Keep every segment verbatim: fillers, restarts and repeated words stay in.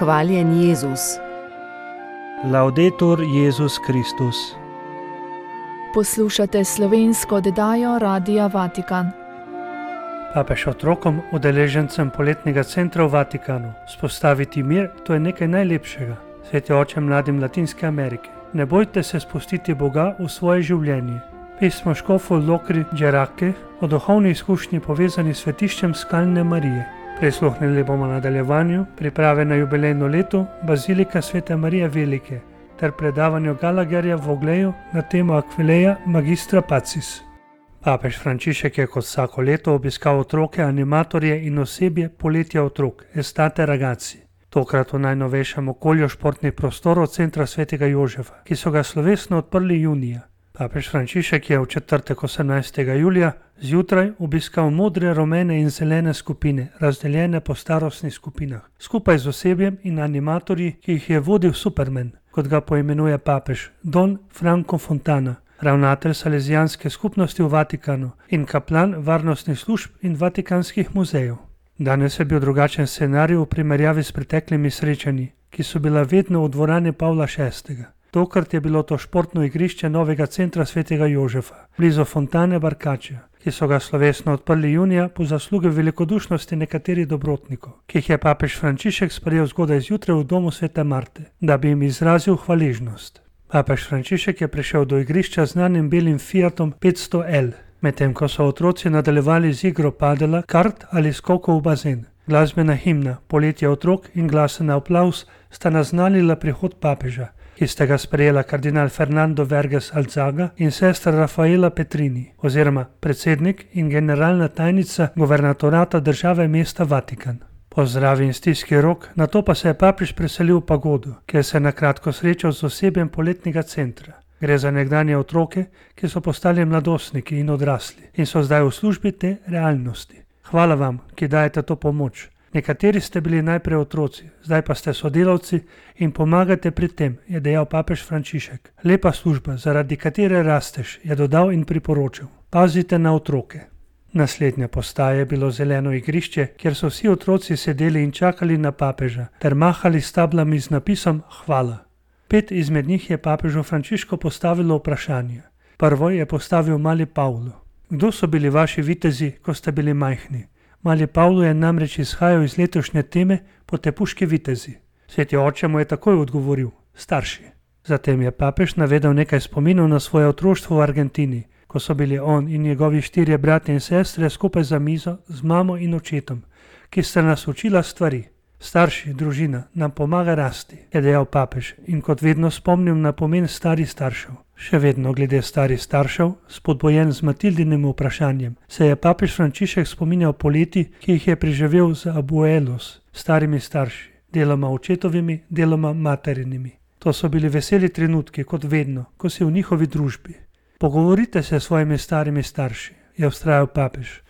Hvaljen Jezus. Laudetur Jezus Kristus. Poslušate slovensko oddajo Radia Vatikan. Papež otrokom, udeležencem poletnega centra v Vatikanu. Spostaviti mir, to je nekaj najlepšega. Sveti oče mladim Latinske Amerike. Ne bojte se spustiti Boga v svoje življenje. Pismo škofu Lokri Džerake o duhovni izkušnji povezani s svetiščem Skalne Marije. Prisluhnili bomo nadaljevanju priprave na jubilejno leto Bazilika Svete Marije Velike ter predavanju Gallagherja v Ogleju na temo Aquileia Magistra Pacis. Papež Frančišek je kot vsako leto obiskal otroke, animatorje in osebje poletja otrok, Estate Ragazzi. Tokrat v najnovejšem okolju športnih prostorov centra Svetega Jožefa, ki so ga slovesno odprli junija. Papež Frančišek je v četrtek osemnajstega julija zjutraj obiskal modre, rumene in zelene skupine, razdeljene po starostnih skupinah, skupaj z osebjem in animatorji, ki jih je vodil Superman, kot ga poimenuje papež, Don Franco Fontana, ravnatelj Salezijanske skupnosti v Vatikanu in kaplan varnostnih služb in vatikanskih muzejev. Danes je bil drugačen scenarij v primerjavi s preteklimi srečanji, ki so bila vedno v dvorani Pavla šestega. Tokrat je bilo to športno igrišče novega centra Svetega Jožefa, blizu Fontane Barkača, ki so ga slovesno odprli junija po zasluge velikodušnosti nekaterih dobrotnikov, ki jih je papež Frančišek sprejel zgodaj zjutraj v domu Svete Marte, da bi jim izrazil hvaležnost. Papež Frančišek je prišel do igrišča z znanim belim Fiatom petsto L, medtem ko so otroci nadaljevali z igro padela, kart ali skokov v bazen. Glasbena himna, poletje otrok in glasen aplavz sta naznanila prihod papeža, ki sta ga sprejela kardinal Fernando Verges Alzaga in sestra Rafaela Petrini, oziroma predsednik in generalna tajnica guvernatorata države mesta Vatikan. Pozdravi in stiski rok, nato pa se je papež preselil v pagodo, kjer se je nakratko srečal z osebjem poletnega centra. Gre za nekdanje otroke, ki so postali mladostniki in odrasli in so zdaj v službi te realnosti. Hvala vam, ki dajete to pomoč. Nekateri ste bili najprej otroci, zdaj pa ste sodelavci in pomagate pri tem, je dejal papež Frančišek. Lepa služba, zaradi katere rasteš, je dodal in priporočil. Pazite na otroke. Naslednja postaja je bilo zeleno igrišče, kjer so vsi otroci sedeli in čakali na papeža ter mahali s tablami z napisom Hvala. Pet izmed njih je papežu Frančišku postavilo vprašanje. Prvo je postavil mali Pavlo. Kdo so bili vaši vitezi, ko ste bili majhni? Mali Pavlo je namreč izhajal iz letošnje teme Potepuški vitezi. Sveti oče mu je takoj odgovoril, starši. Zatem je papež navedel nekaj spominov na svoje otroštvo v Argentini, ko so bili on in njegovi štirje bratje in sestre skupaj za mizo z mamo in očetom, ki sta nas učila stvari. Starši, družina, nam pomaga rasti, je dejal papež in kot vedno spomnil na pomen starih staršev. Še vedno glede starih staršev, spodbojen z Matildinim vprašanjem, se je papež Frančišek spominjal poleti, ki jih je preživel z abuelos, starimi starši, deloma očetovimi, deloma materinimi. To so bili veseli trenutki, kot vedno, ko si v njihovi družbi. Pogovorite se s svojimi starimi starši, je vztrajal papež.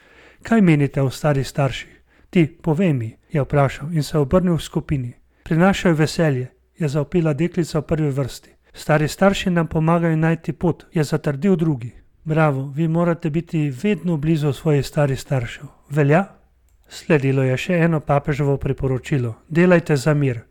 Kaj menite o starih starših? Ti, povej mi, je vprašal in se obrnil v skupini. Prinašajo veselje, je zavpila deklica v prvi vrsti. Stari starši nam pomagajo najti pot, je zatrdil drugi. Bravo, vi morate biti vedno blizu svojih starih staršev. Velja? Sledilo je še eno papeževo priporočilo. Delajte za mir.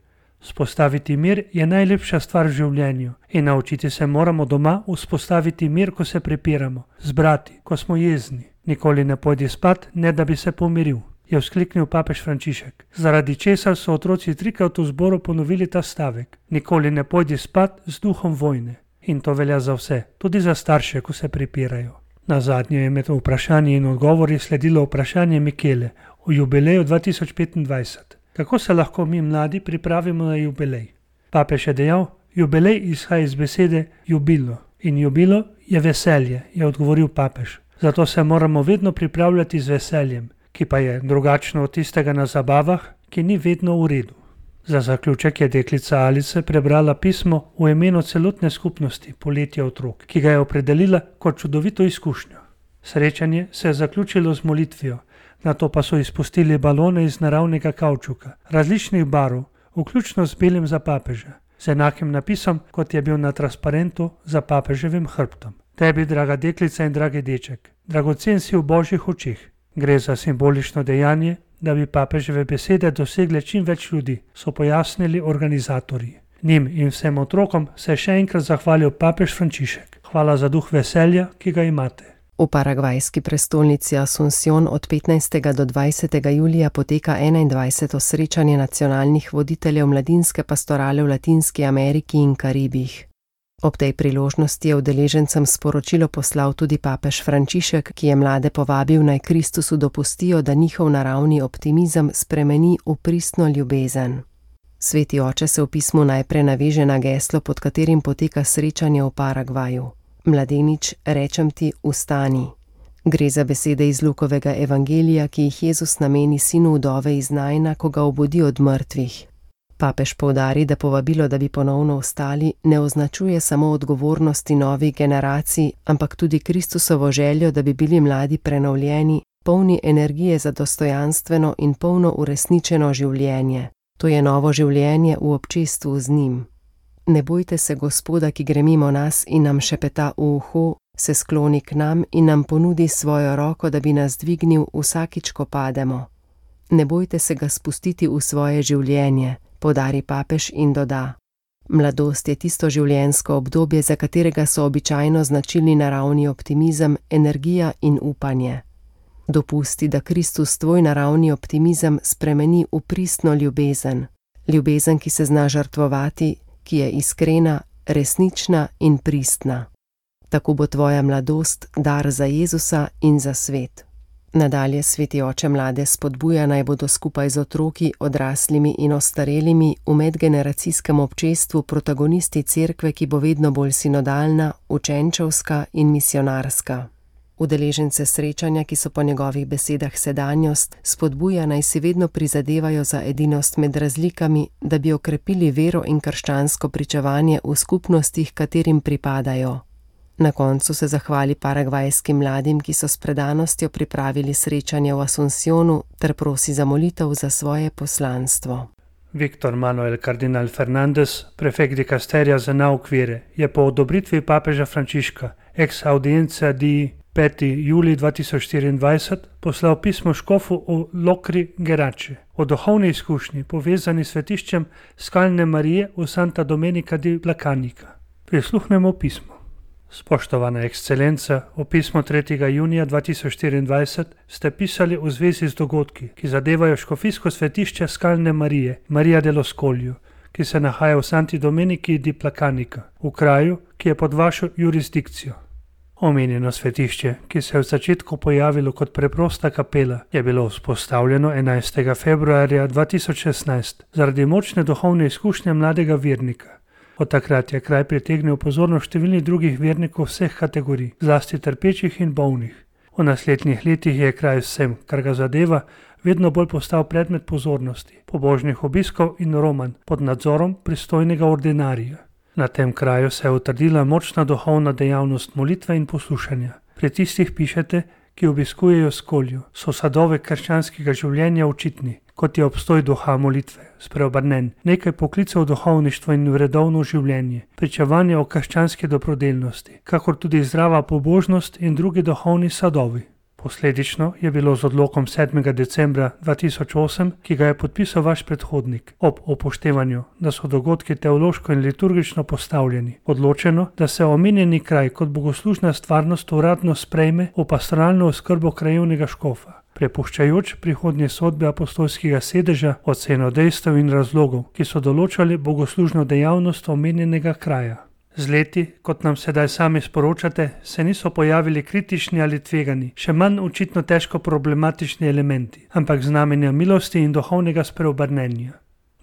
Vzpostaviti mir je najlepša stvar v življenju in naučiti se moramo doma vzpostaviti mir, ko se prepiramo, zbrati, ko smo jezni. Nikoli ne pojdi spat, ne da bi se pomiril, je vzkliknil papež Frančišek, zaradi česar so otroci trikrat v zboru ponovili ta stavek. Nikoli ne pojdi spat z duhom vojne. In to velja za vse, tudi za starše, ko se prepirajo. Nazadnje je med vprašanji in odgovori sledilo vprašanje Mikele o jubileju dva tisoč petindvajset. Kako se lahko mi mladi pripravimo na jubilej? Papež je dejal, jubilej izhaja iz besede jubilo in jubilo je veselje, je odgovoril papež. Zato se moramo vedno pripravljati z veseljem, ki pa je drugačno od tistega na zabavah, ki ni vedno v redu. Za zaključek je deklica Alice prebrala pismo v imenu celotne skupnosti Poletje otrok, ki ga je opredelila kot čudovito izkušnjo. Srečanje se je zaključilo z molitvijo, nato pa so izpustili balone iz naravnega kavčuka, različnih barv, vključno z belim za papeža, z enakim napisom, kot je bil na transparentu za papeževim hrbtom. Tebi, draga deklica in dragi deček, dragocen si v Božjih očeh. Gre za simbolično dejanje, da bi papeževe besede dosegle čim več ljudi, so pojasnili organizatorji. Njim in vsem otrokom se je še enkrat zahvalil papež Frančišek. Hvala za duh veselja, ki ga imate. V paragvajski prestolnici Asunción od petnajstega do dvajsetega julija poteka enaindvajseto srečanje nacionalnih voditeljev mladinske pastorale v Latinski Ameriki in Karibih. Ob tej priložnosti je udeležencem sporočilo poslal tudi papež Frančišek, ki je mlade povabil, naj Kristusu dopustijo, da njihov naravni optimizem spremeni v pristno ljubezen. Sveti oče se v pismu najprej naveže na geslo, pod katerim poteka srečanje v Paragvaju. Mladenič, rečem ti, vstani. Gre za besede iz Lukovega evangelija, ki jih Jezus nameni sinu vdove iz Naina, ko ga obudi od mrtvih. Papež poudari, da povabilo, da bi ponovno vstali, ne označuje samo odgovornosti novih generacij, ampak tudi Kristusovo željo, da bi bili mladi prenovljeni, polni energije za dostojanstveno in polno uresničeno življenje. To je novo življenje v občestvu z njim. Ne bojte se Gospoda, ki gre mimo nas in nam šepeta v uho, se skloni k nam in nam ponudi svojo roko, da bi nas dvignil vsakič, ko pademo. Ne bojte se ga spustiti v svoje življenje, poudari papež in doda. Mladost je tisto življenjsko obdobje, za katerega so običajno značilni naravni optimizem, energija in upanje. Dopusti, da Kristus tvoj naravni optimizem spremeni v pristno ljubezen. Ljubezen, ki se zna žrtvovati, ki je iskrena, resnična in pristna. Tako bo tvoja mladost dar za Jezusa in za svet. Nadalje sveti oče mlade spodbuja, naj bodo skupaj z otroki, odraslimi in ostarelimi v medgeneracijskem občestvu protagonisti cerkve, ki bo vedno bolj sinodalna, učenčevska in misionarska. Udeležence srečanja, ki so po njegovih besedah sedanjost, spodbuja, naj si vedno prizadevajo za edinost med razlikami, da bi okrepili vero in krščansko pričevanje v skupnostih, katerim pripadajo. Na koncu se zahvali paragvajskim mladim, ki so s predanostjo pripravili srečanje v Asunciónu, ter prosi za molitev za svoje poslanstvo. Viktor Manuel Kardinal Fernández, prefekt dikasterija za nauk vere, je po odobritvi papeža Frančiška ex audienza di peti julij dva tisoč štiriindvajset poslal pismo škofu v Locri Gerace o duhovni izkušnji povezani s svetiščem Skalne Marije v Santa Domenica di Placanica. Prisluhnemo pismu. Spoštovana ekscelenca, v pismo tretjega junija dva tisoč štiriindvajset ste pisali v zvezi z dogodki, ki zadevajo škofijsko svetišče Skalne Marije, Maria dello Scoglio, ki se nahaja v Santi Domenici di Placanica, v kraju, ki je pod vašo jurisdikcijo. Omenjeno svetišče, ki se je v začetku pojavilo kot preprosta kapela, je bilo vzpostavljeno enajstega februarja dva tisoč šestnajst zaradi močne duhovne izkušnje mladega vernika. Od takrat je kraj pritegnil pozornost številnih drugih vernikov vseh kategorij, zlasti trpečih in bolnih. V naslednjih letih je kraj vsem, kar ga zadeva, vedno bolj postal predmet pozornosti, pobožnih obiskov in romanj pod nadzorom pristojnega ordinarija. Na tem kraju se je utrdila močna duhovna dejavnost molitve in poslušanja. Pri tistih pišete, ki obiskujejo Scoglio, so sadove krščanskega življenja očitni, kot je obstoj duha molitve, spreobrnen, nekaj poklicev v duhovništvo in vredovno življenje, pričevanje o krščanski dobrodelnosti, kakor tudi zdrava pobožnost in drugi duhovni sadovi. Posledično je bilo z odlokom sedmega decembra dva tisoč osem, ki ga je podpisal vaš predhodnik, ob upoštevanju, da so dogodki teološko in liturgično postavljeni, odločeno, da se omenjeni kraj kot bogoslužna stvarnost uradno sprejme v pastoralno oskrbo krajevnega škofa, prepuščajoč prihodnje sodbe apostolskega sedeža oceno dejstev in razlogov, ki so določali bogoslužno dejavnost omenjenega kraja. Z leti, kot nam sedaj sami sporočate, se niso pojavili kritični ali tvegani, še manj očitno težko problematični elementi, ampak znamenja milosti in duhovnega spreobrnenja.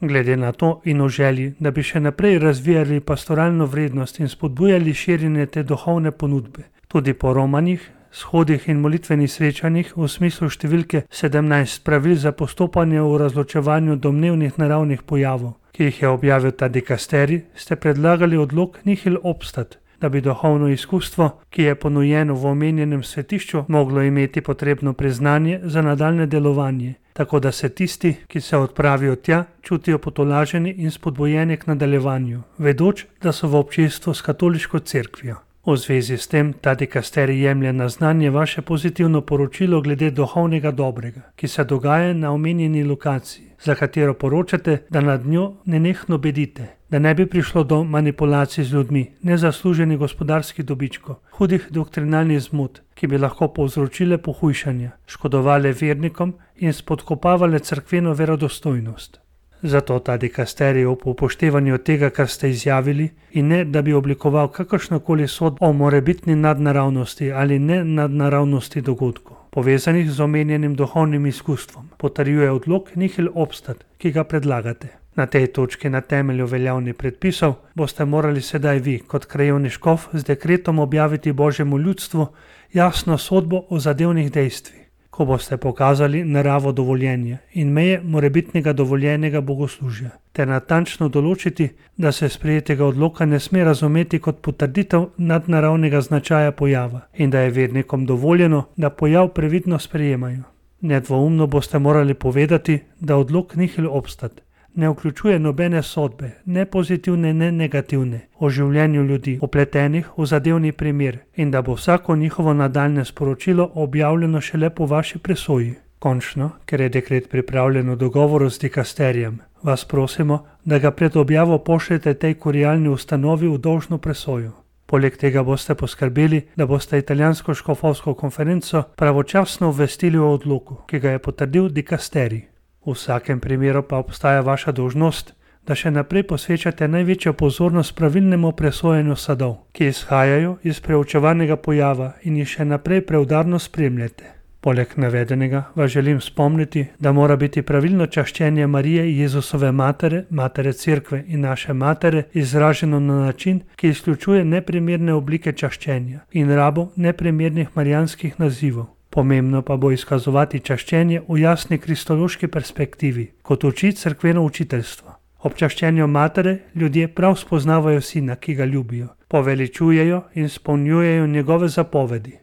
Glede na to in o želji, da bi še naprej razvijali pastoralno vrednost in spodbujali širjenje te duhovne ponudbe, tudi po romanjih, shodih in molitvenih srečanjih v smislu številke sedemnajst pravil za postopanje v razločevanju domnevnih naravnih pojavov, ki jih je objavil ta dikasterij, ste predlagali odlok nihil obstat, da bi duhovno izkustvo, ki je ponujeno v omenjenem svetišču, moglo imeti potrebno priznanje za nadaljne delovanje, tako da se tisti, ki se odpravijo tja, čutijo potolaženi in spodbujeni k nadaljevanju, vedoč, da so v občestvu s katoliško cerkvijo. V zvezi s tem ta dikasterij jemlje na znanje vaše pozitivno poročilo glede duhovnega dobrega, ki se dogaja na omenjeni lokaciji, za katero poročate, da nad njo nenehno bedite, da ne bi prišlo do manipulacij z ljudmi, nezasluženih gospodarskih dobičkov, hudih doktrinalnih zmot, ki bi lahko povzročile pohujšanja, škodovale vernikom in spodkopavale cerkveno verodostojnost. Zato ta dikasterij ob upoštevanju tega, kar ste izjavili, in ne, da bi oblikoval kakršnokoli sodbo o morebitni nadnaravnosti ali ne nadnaravnosti dogodkov, povezanih z omenjenim duhovnim izkustvom, potrjuje odlok nihil obstat, ki ga predlagate. Na tej točki na temelju veljavnih predpisov boste morali sedaj vi, kot krajevni škof, z dekretom objaviti Božjemu ljudstvu jasno sodbo o zadevnih dejstvih, ko boste pokazali naravo dovoljenja in meje morebitnega dovoljenega bogoslužja, ter natančno določiti, da se sprejetega odloka ne sme razumeti kot potrditev nadnaravnega značaja pojava in da je vernikom dovoljeno, da pojav previdno sprejemajo. Nedvoumno boste morali povedati, da odlok nihil obstat ne vključuje nobene sodbe, ne pozitivne, ne negativne, o življenju ljudi, upletenih v zadevni primer, in da bo vsako njihovo nadaljne sporočilo objavljeno šele po vaši presoji. Končno, ker je dekret pripravljen v dogovoru z dikasterijem, vas prosimo, da ga pred objavo pošljete tej kurialni ustanovi v dolžno presojo. Poleg tega boste poskrbeli, da boste italijansko škofovsko konferenco pravočasno obvestili o odloku, ki ga je potrdil dikasterij. V vsakem primeru pa obstaja vaša dolžnost, da še naprej posvečate največjo pozornost pravilnemu presojanju sadov, ki izhajajo iz preučevanega pojava in jih še naprej preudarno spremljate. Poleg navedenega vas želim spomniti, da mora biti pravilno čaščenje Marije Jezusove matere, matere Cerkve in naše matere izraženo na način, ki izključuje neprimerne oblike čaščenja in rabo neprimernih marijanskih nazivov. Pomembno pa bo izkazovati čaščenje v jasni kristološki perspektivi, kot uči cerkveno učiteljstvo. Ob čaščenju matere ljudje prav spoznavajo sina, ki ga ljubijo, poveličujejo in izpolnjujejo njegove zapovedi.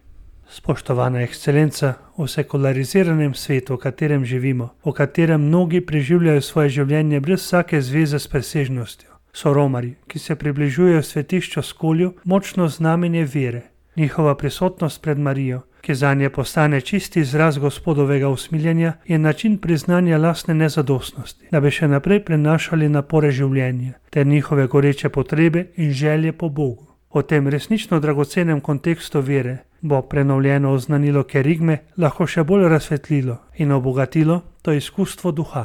Spoštovana ekscelenca, v sekulariziranem svetu, v katerem živimo, v katerem mnogi preživljajo svoje življenje brez vsake zveze s presežnostjo, so romarji, ki se približujejo svetišču skolju, močno znamenje vere. Njihova prisotnost pred Marijo, ki zanje postane čisti izraz Gospodovega usmiljenja, je način priznanja lastne nezadostnosti, da bi še naprej prenašali napore življenja ter njihove goreče potrebe in želje po Bogu. O tem resnično dragocenem kontekstu vere bo prenovljeno oznanilo kerigme lahko še bolj razsvetlilo in obogatilo to izkustvo duha.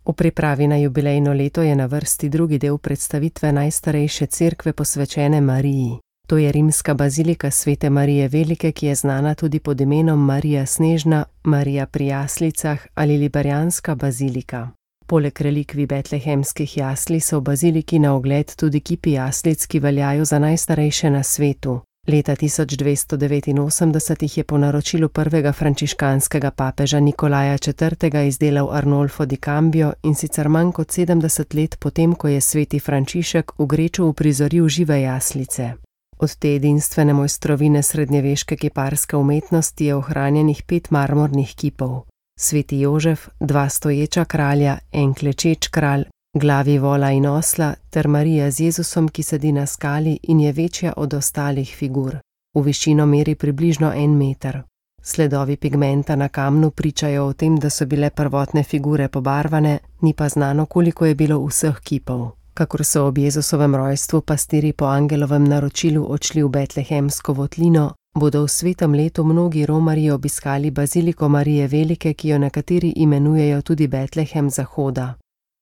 V pripravi na jubilejno leto je na vrsti drugi del predstavitve najstarejše cerkve posvečene Mariji. To je rimska bazilika Svete Marije Velike, ki je znana tudi pod imenom Marija Snežna, Marija pri Jaslicah ali Liberijanska bazilika. Poleg relikvij betlehemskih jasli so v baziliki na ogled tudi kipi jaslic, ki veljajo za najstarejše na svetu. Leta tisoč dvesto devetinosemdeset jih je po naročilu prvega frančiškanskega papeža Nikolaja četrtega izdelal Arnolfo di Cambio, in sicer manj kot sedemdeset let potem, ko je sveti Frančišek v Greču uprizoril žive jaslice. Od te edinstvene mojstrovine srednjeveške kiparske umetnosti je ohranjenih pet marmornih kipov. Sveti Jožef, dva stoječa kralja, en klečeč kralj, glavi vola in osla ter Marija z Jezusom, ki sedi na skali in je večja od ostalih figur. V višino meri približno en meter. Sledovi pigmenta na kamnu pričajo o tem, da so bile prvotne figure pobarvane, ni pa znano, koliko je bilo vseh kipov. Kakor so ob Jezusovem rojstvu pastiri po angelovem naročilu odšli v betlehemsko votlino, bodo v svetem letu mnogi romarji obiskali baziliko Marije Velike, ki jo nekateri imenujejo tudi Betlehem Zahoda.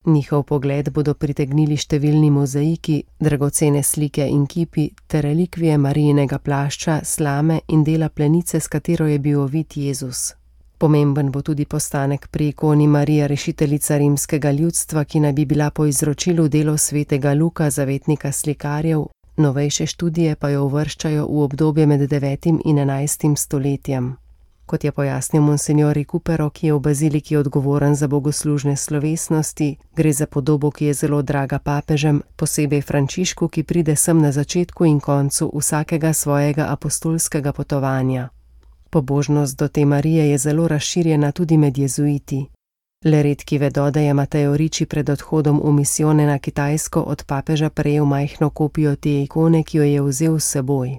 Njihov pogled bodo pritegnili številni mozaiki, dragocene slike in kipi ter relikvije Marijinega plašča, slame in dela plenice, s katero je bil ovit Jezus. Pomemben bo tudi postanek pri ikoni Marija rešiteljica rimskega ljudstva, ki naj bi bila po izročilu delo svetega Luka, zavetnika slikarjev, novejše študije pa jo uvrščajo v obdobje med devetim in enajstim stoletjem. Kot je pojasnil monsignor Recupero, ki je v baziliki odgovoren za bogoslužne slovesnosti, gre za podobo, ki je zelo draga papežem, posebej Frančišku, ki pride sem na začetku in koncu vsakega svojega apostolskega potovanja. Pobožnost do te Marije je zelo razširjena tudi med jezuiti. Le redki vedo, da je Mateo Ricci pred odhodom v misijone na Kitajsko od papeža prejel majhno kopijo te ikone, ki jo je vzel s seboj.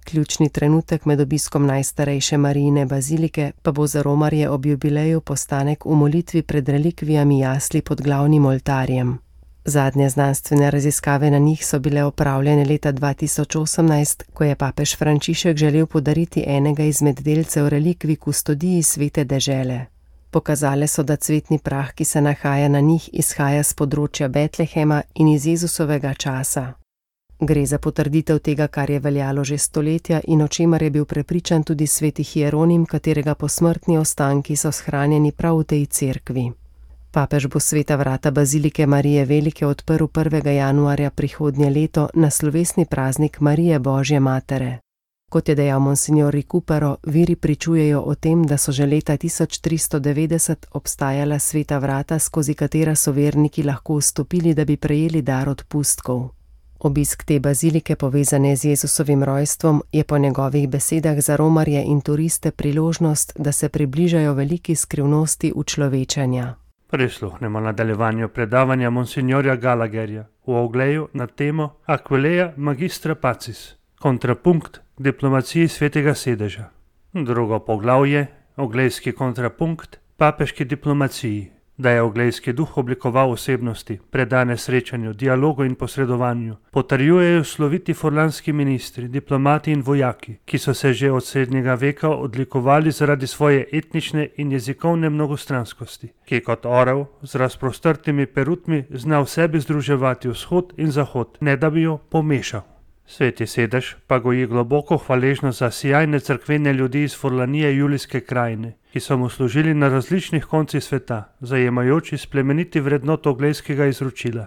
ključni trenutek med obiskom najstarejše Marijine bazilike pa bo za romarje ob jubileju postanek v molitvi pred relikvijami jasli pod glavnim oltarjem. Zadnje znanstvene raziskave na njih so bile opravljene leta dva tisoč osemnajst, ko je papež Frančišek želel podariti enega izmed delcev relikvij kustodiji svete dežele. Pokazale so, da cvetni prah, ki se nahaja na njih, izhaja z področja Betlehema in iz Jezusovega časa. Gre za potrditev tega, kar je veljalo že stoletja in o čemer je bil prepričan tudi sveti Hieronim, katerega posmrtni ostanki so shranjeni prav v tej cerkvi. Papež bo sveta vrata bazilike Marije Velike odprl prvega januarja prihodnje leto na slovesni praznik Marije Božje matere. Kot je dejal monsignor Recupero, viri pričujejo o tem, da so že leta tisoč tristo devetdeset obstajala sveta vrata, skozi katera so verniki lahko vstopili, da bi prejeli dar odpustkov. Obisk te bazilike, povezane z Jezusovim rojstvom, je po njegovih besedah za romarje in turiste priložnost, da se približajo veliki skrivnosti učlovečenja. Prisluhnemo nadaljevanju predavanja monsignorja Gallagherja v ogleju na temo Aquileia Magistra Pacis, kontrapunkt diplomaciji svetega sedeža. Drugo poglavje, oglejski kontrapunkt papeški diplomaciji, da je oglejski duh oblikoval osebnosti, predane srečanju, dialogu in posredovanju, potrjujejo sloviti furlanski ministri, diplomati in vojaki, ki so se že od srednjega veka odlikovali zaradi svoje etnične in jezikovne mnogostranskosti, ki kot orel z razprostrtimi perutmi zna v sebi združevati vzhod in zahod, ne da bi jo pomešal. Sveti sedež pa goji globoko hvaležnost za sijajne cerkvene ljudi iz Furlanije Julijske krajine, ki so mu služili na različnih koncih sveta, zajemajoči splemeniti vrednot oglejskega izročila.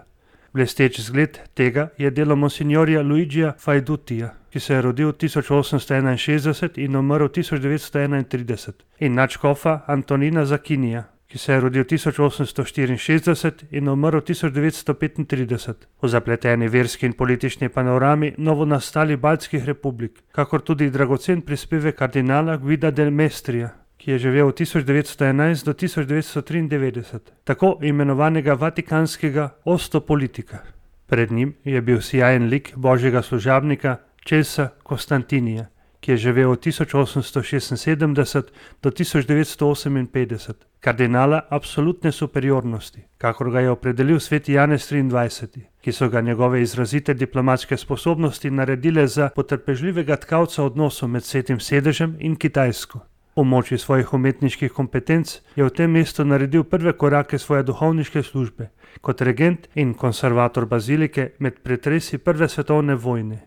Blesteč zgled tega je delo monsignorja Luigija Fajdutija, ki se je rodil tisoč osemsto enainšestdeset in umrl tisoč devetsto enaintrideset, in nadškofa Antonina Zakinija, ki se je rodil tisoč osemsto štiriinšestdeset in umrl tisoč devetsto petintrideset. V zapleteni verski in politični panorami novonastalih baltskih republik, kakor tudi dragocen prispevek kardinala Guida del Mestrija, ki je živel od tisoč devetsto enajst do tisoč devetsto triindevetdeset, tako imenovanega vatikanskega ostopolitika. Pred njim je bil sijajen lik božjega služabnika Česa Konstantinija, ki je živel od tisoč osemsto šestinsedemdeset do tisoč devetsto oseminpetdeset, kardinala absolutne superiornosti, kakor ga je opredelil sveti Janez triindvajseti, ki so ga njegove izrazite diplomatske sposobnosti naredile za potrpežljivega tkalca odnosov med svetim sedežem in Kitajsko. V moči svojih umetniških kompetenc je v tem mestu naredil prve korake svoje duhovniške službe, kot regent in konservator bazilike med pretresi prve svetovne vojne.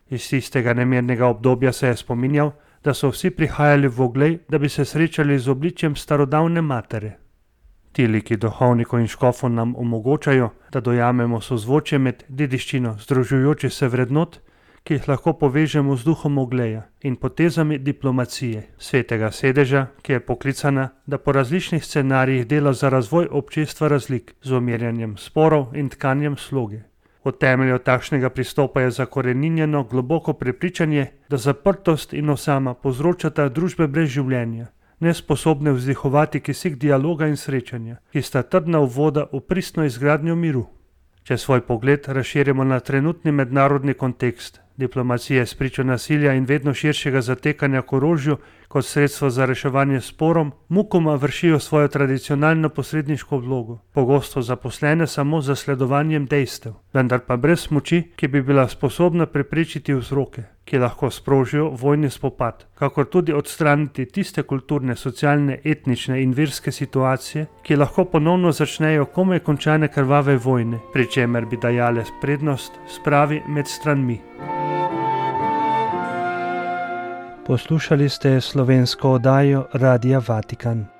Iz tistega nemernega obdobja se je spominjal, da so vsi prihajali v oglej, da bi se srečali z obličjem starodavne matere. Ti liki duhovnikov in škofov nam omogočajo, da dojamemo sozvočje med dediščino združujočih se vrednot, ki jih lahko povežemo z duhom ogleja in potezami diplomacije svetega sedeža, ki je poklicana, da po različnih scenarijih dela za razvoj občestva razlik z umirjanjem sporov in tkanjem sloge. V temelju takšnega pristopa je zakoreninjeno globoko prepričanje, da zaprtost in osama povzročata družbe brez življenja, nesposobne vzdihovati kisik dialoga in srečanja, ki sta trdna uvoda v pristno izgradnjo miru. Če svoj pogled razširimo na trenutni mednarodni kontekst, diplomacije spričo nasilja in vedno širšega zatekanja k orožju kot sredstvo za reševanje sporom, mukoma vršijo svojo tradicionalno posredniško vlogo, pogosto zaposlene samo z zasledovanjem dejstev, vendar pa brez moči, ki bi bila sposobna preprečiti vzroke, ki lahko sprožijo vojni spopad, kakor tudi odstraniti tiste kulturne, socialne, etnične in verske situacije, ki lahko ponovno začnejo komaj končane krvave vojne, pri čemer bi dajale prednost spravi med stranmi. Poslušali ste slovensko oddajo Radia Vatikan.